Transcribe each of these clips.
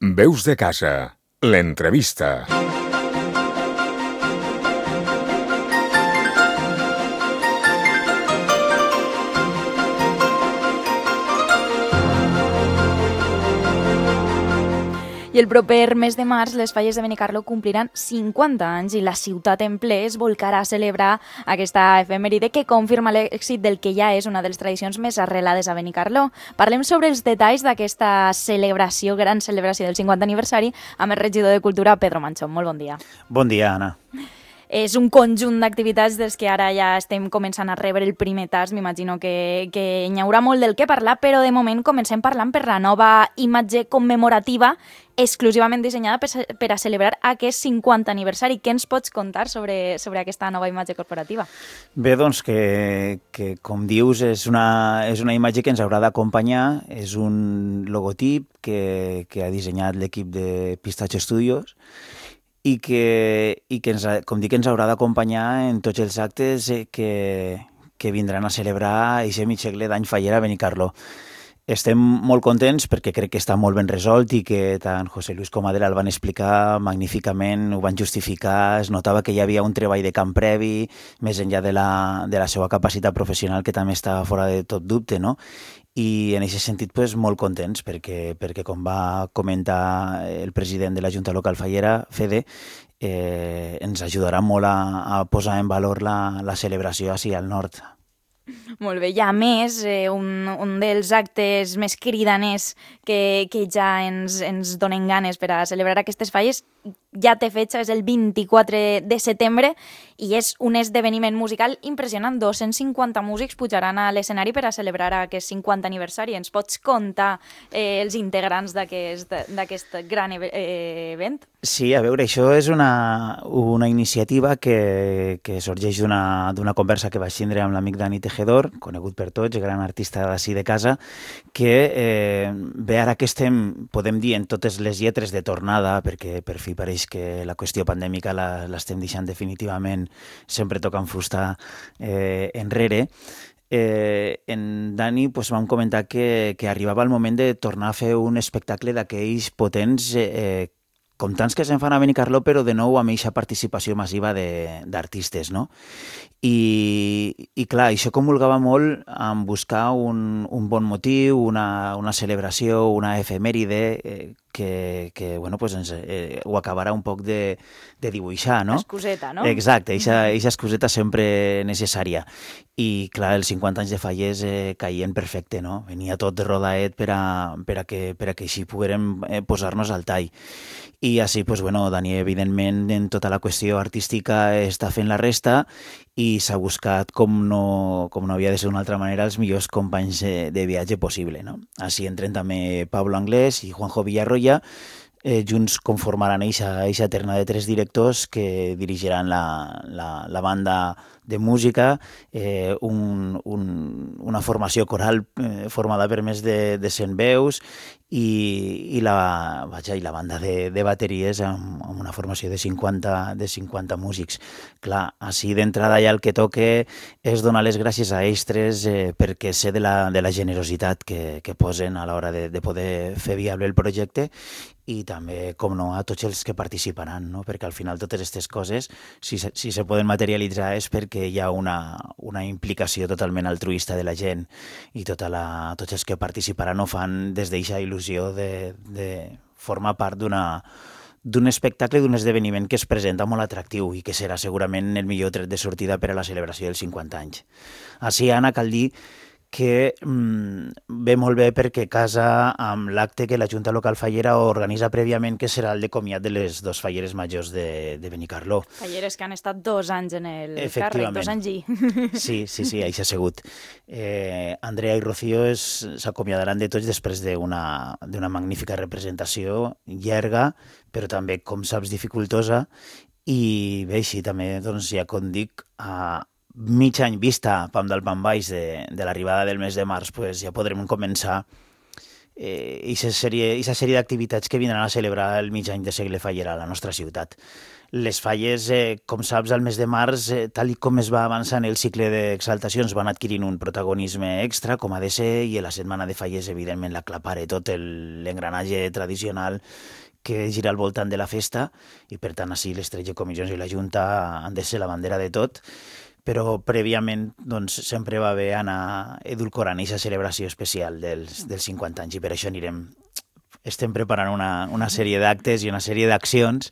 Veus de casa, l'entrevista. I el proper mes de març les falles de Benicarló compliran 50 anys i la ciutat en ple es volcarà a celebrar aquesta efemèride que confirma l'èxit del que ja és una de les tradicions més arrelades a Benicarló. Parlem sobre els detalls d'aquesta celebració, gran celebració del 50 aniversari, amb el regidor de Cultura, Pedro Manchón. Molt bon dia. Bon dia, Anna. És un conjunt d'activitats des que ara ja estem començant a rebre el primer tast. M'imagino que hi haurà molt del que parlar, però de moment comencem parlant per la nova imatge commemorativa exclusivament dissenyada per a celebrar aquest 50 aniversari. Què ens pots contar sobre aquesta nova imatge corporativa? Bé, doncs que com dius, és una imatge que ens haurà d'acompanyar. És un logotip que ha dissenyat l'equip de Pistacho Studios i que ens haurà d'acompanyar en tots els actes que vindran a celebrar aquest mig segle d'any faller a Benicarló. Estem molt contents perquè crec que està molt ben resolt i que tant José Luis com Adela el van explicar magníficament, ho van justificar, es notava que hi havia un treball de camp previ, més enllà de la seva capacitat professional, que també està fora de tot dubte, no? I en aquest sentit molt contents perquè com va comentar el president de la Junta Local Fallera, Fede, ens ajudarà molt a posar en valor la celebració així al nord. Molt bé, i a més, un dels actes més cridaners que ja ens donen ganes per a celebrar aquestes falles ja té fetge, és el 24 de setembre i és un esdeveniment musical impressionant. 250 músics pujaran a l'escenari per a celebrar aquest 50 aniversari. Ens pots contar els integrants d'aquest gran event? Sí, a veure, això és una iniciativa que sorgeix d'una conversa que vaig tindre amb l'amic Dani Tejedor, conegut per tots, gran artista d'ací de casa, que bé, ara que podem dir, en totes les lletres de tornada, perquè per fi pareix que la qüestió pandèmica l'estem deixant definitivament, sempre tocant fusta enrere. En Dani vam comentar que arribava el moment de tornar a fer un espectacle d'aquells potents, com tants que se'n fan a Benicarló, però de nou amb aquesta participació massiva d'artistes, no? I clar, això comulgava molt en buscar un bon motiu, una celebració, una efemèride que bueno, ho acabarà un poc de dibuixar, no? Excuseta, no? Exacte, eixa excuseta sempre necessària. I clar, els 50 anys de Fallers caien perfecte, no? Venia tot rodaet per a que així poguérem posar-nos al tall. I així, bueno, Dani, evidentment, en tota la qüestió artística està fent la resta i s'ha buscat, com no havia de ser d'una altra manera, els millors companys de viatge possible, no? Així entren també Pablo Anglés i Juanjo Villarroya, junts conformaran eixa terna de 3 directors que dirigiran la banda de música, una formació coral formada per més de 100 veus i la banda de bateries amb una formació de 50 músics. Clar, així d'entrada ja el que toque és donar les gràcies a ells tres perquè sé de la generositat que posen a l'hora de poder fer viable el projecte i també, com no, a tots els que participaran, no? Perquè al final totes aquestes coses, si se poden materialitzar és perquè hi ha una implicació totalment altruista de la gent i tots els que participaran ho fan des d'eixa il·lusió de formar part d'un espectacle, d'un esdeveniment que es presenta molt atractiu i que serà segurament el millor tret de sortida per a la celebració dels 50 anys. Així, Anna, cal dir que ve molt bé perquè casa amb l'acte que la Junta Local Fallera organitza prèviament, que serà el de comiat de les 2 falleres majors de Benicarló. Falleres que han estat 2 anys en el càrrec, 2 anys i... Sí, això ha sigut. Andrea i Rocío s'acomiadaran de tots després d'una magnífica representació llarga, però també, com saps, dificultosa, i bé, així també, doncs, ja com dic, mig any vista pam dalt pam baix de l'arribada del mes de març, ja podrem començar aquesta sèrie d'activitats que vindran a celebrar el mig any de Segle Fallera a la nostra ciutat. Les falles, com saps, al mes de març, tal com es va avançant el cicle d'exaltacions, van adquirint un protagonisme extra, com ha de ser, i a la setmana de falles, evidentment, l'aclapara tot l'engranatge tradicional que gira al voltant de la festa, i per tant, així les 13 comissions i la Junta han de ser la bandera de tot, però prèviament doncs, sempre va bé anar edulcorant aquesta celebració especial dels 50 anys, i per això estem preparant una sèrie d'actes i una sèrie d'accions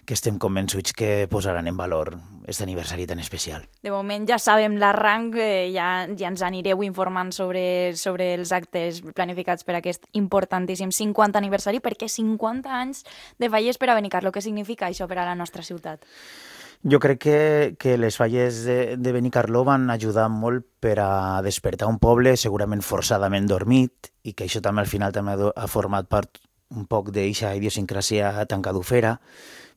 que estem convençuts que posaran en valor aquest aniversari tan especial. De moment ja sabem l'arranc, ja ens anireu informant sobre els actes planificats per aquest importantíssim 50 aniversari, perquè 50 anys de falles per a Benicarló, què significa això per a la nostra ciutat? Jo crec que les falles de Benicarló van ajudar molt per a despertar un poble segurament forçadament dormit, i que això també al final també ha format part un poc d'eixa idiosincràsia tancadufera,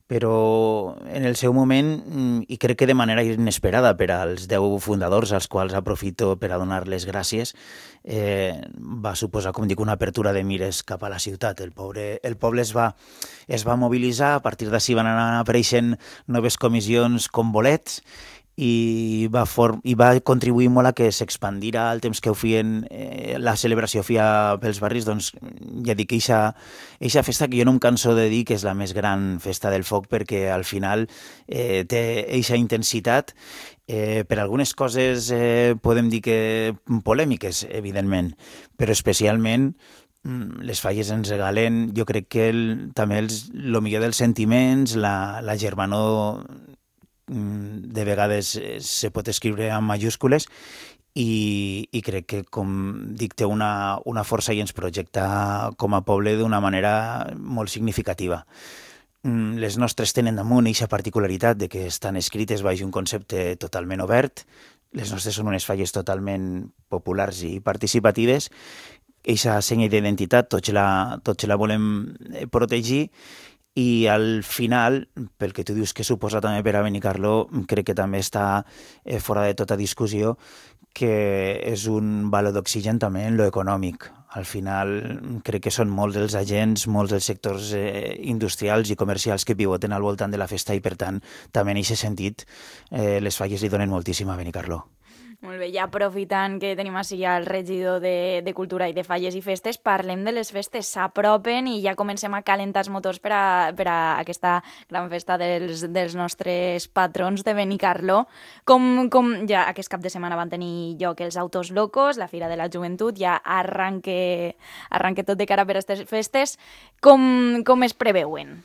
però en el seu moment, i crec que de manera inesperada per als 10 fundadors, als quals aprofito per a donar les gràcies, va suposar, com dic, una apertura de mires cap a la ciutat. El poble es va mobilitzar, a partir d'ací van anar apareixent noves comissions com bolets, i va contribuir molt a que s'expandira el temps que ho feien, la celebració feia pels barris. Doncs ja dic, eixa festa que jo no em canso de dir que és la més gran festa del foc, perquè al final té eixa intensitat, per algunes coses podem dir que polèmiques, evidentment, però especialment les falles ens regalen, jo crec que també el millor dels sentiments, la germanor de vegades se pot escriure amb majúscules, i crec que, com dic, té una força i ens projecta com a poble d'una manera molt significativa. Les nostres tenen damunt aquesta particularitat de que estan escrites baix un concepte totalment obert. Les nostres són unes falles totalment populars i participatives. Aquesta senya d'identitat tots la volem protegir, i al final, pel que tu dius que suposa també per a Benicarló, crec que també està fora de tota discussió que és un valor d'oxigen també en lo econòmic. Al final crec que són molts els agents, molts els sectors industrials i comercials que pivoten al voltant de la festa, i per tant també en aquest sentit les falles li donen moltíssim a Benicarló. Molt bé, ja aprofitant que tenim així el regidor de Cultura i de Falles i Festes, parlem de les festes. S'apropen i ja comencem a calentar els motors per a aquesta gran festa dels nostres patrons de Benicarló. Com ja aquest cap de setmana van tenir lloc els Autos Locos, la Fira de la Joventut, ja arranque tot de cara per a aquestes festes. Com es preveuen?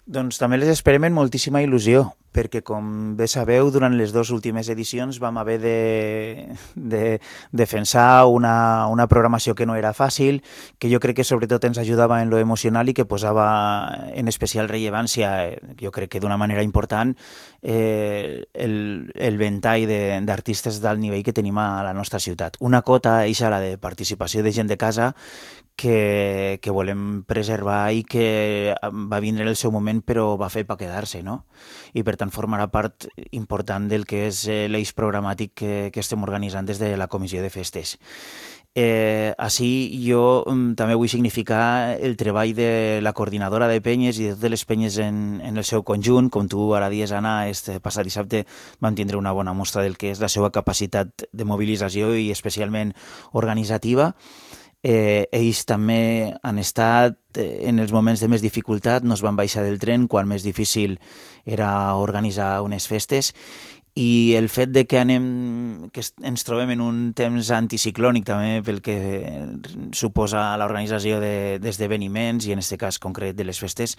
Doncs també les esperem amb moltíssima il·lusió, perquè, com bé sabeu, durant les 2 últimes edicions vam haver de defensar una programació que no era fàcil, que jo crec que sobretot ens ajudava en lo emocional i que posava en especial rellevància, jo crec que d'una manera important, el ventall d'artistes d'alt nivell que tenim a la nostra ciutat. Una cota, eixa, la de participació de gent de casa, que volem preservar i que va vindre en el seu moment però va fer per quedar-se, no? I per tant formarà part important del que és l'eix programàtic que estem organitzant des de la Comissió de Festes. Així jo també vull significar el treball de la coordinadora de penyes i de totes les penyes en el seu conjunt. Com tu ara dies, Anna, este passat dissabte vam tindre una bona mostra del que és la seva capacitat de mobilització i especialment organitzativa. Ells també han estat en els moments de més dificultat, no es van baixar del tren quan més difícil era organitzar unes festes, i el fet de que ens trobem en un temps anticiclònic també pel que suposa l'organització d'esdeveniments, i en aquest cas concret de les festes,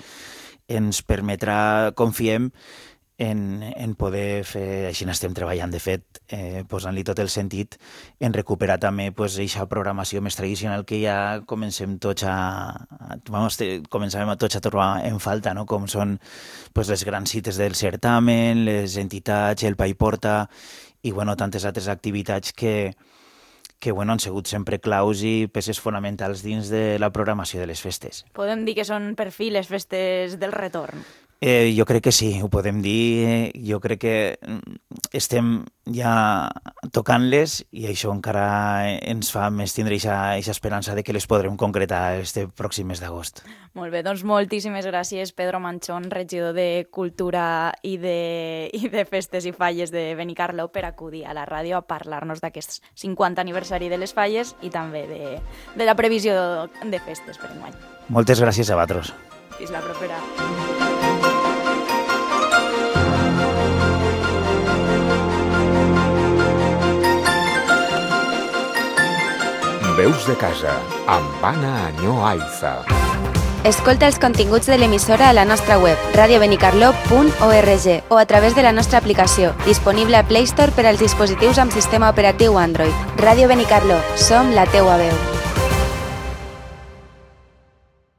ens permetrà, confiem, en poder fer, així n'estem treballant, de fet, posant-li tot el sentit, en recuperar també aquesta programació més tradicional que ja començàvem tots a trobar en falta, no? Com són les grans cites del certamen, les entitats, el Pa i Porta, i tantes altres activitats que han sigut sempre claus i peces fonamentals dins de la programació de les festes. Podem dir que són per fi les festes del retorn. Jo crec que sí, ho podem dir. Jo crec que estem ja tocant-les i això encara ens fa més tindre aquesta esperança de que les podrem concretar este pròxim mes d'agost. Molt bé, doncs moltíssimes gràcies, Pedro Manchón, regidor de Cultura i de Festes i Falles de Benicarló, per acudir a la ràdio a parlar-nos d'aquest 50 aniversari de les falles i també de la previsió de festes per enguany. Moltes gràcies a vosaltres. Fins la propera. Veus de casa, amb Anna Añó Aiza. Escolta els continguts de l'emissora a la nostra web, radiobenicarló.org, o a través de la nostra aplicació, disponible a Play Store per als dispositius amb sistema operatiu Android. Ràdio Benicarló, som la teua veu.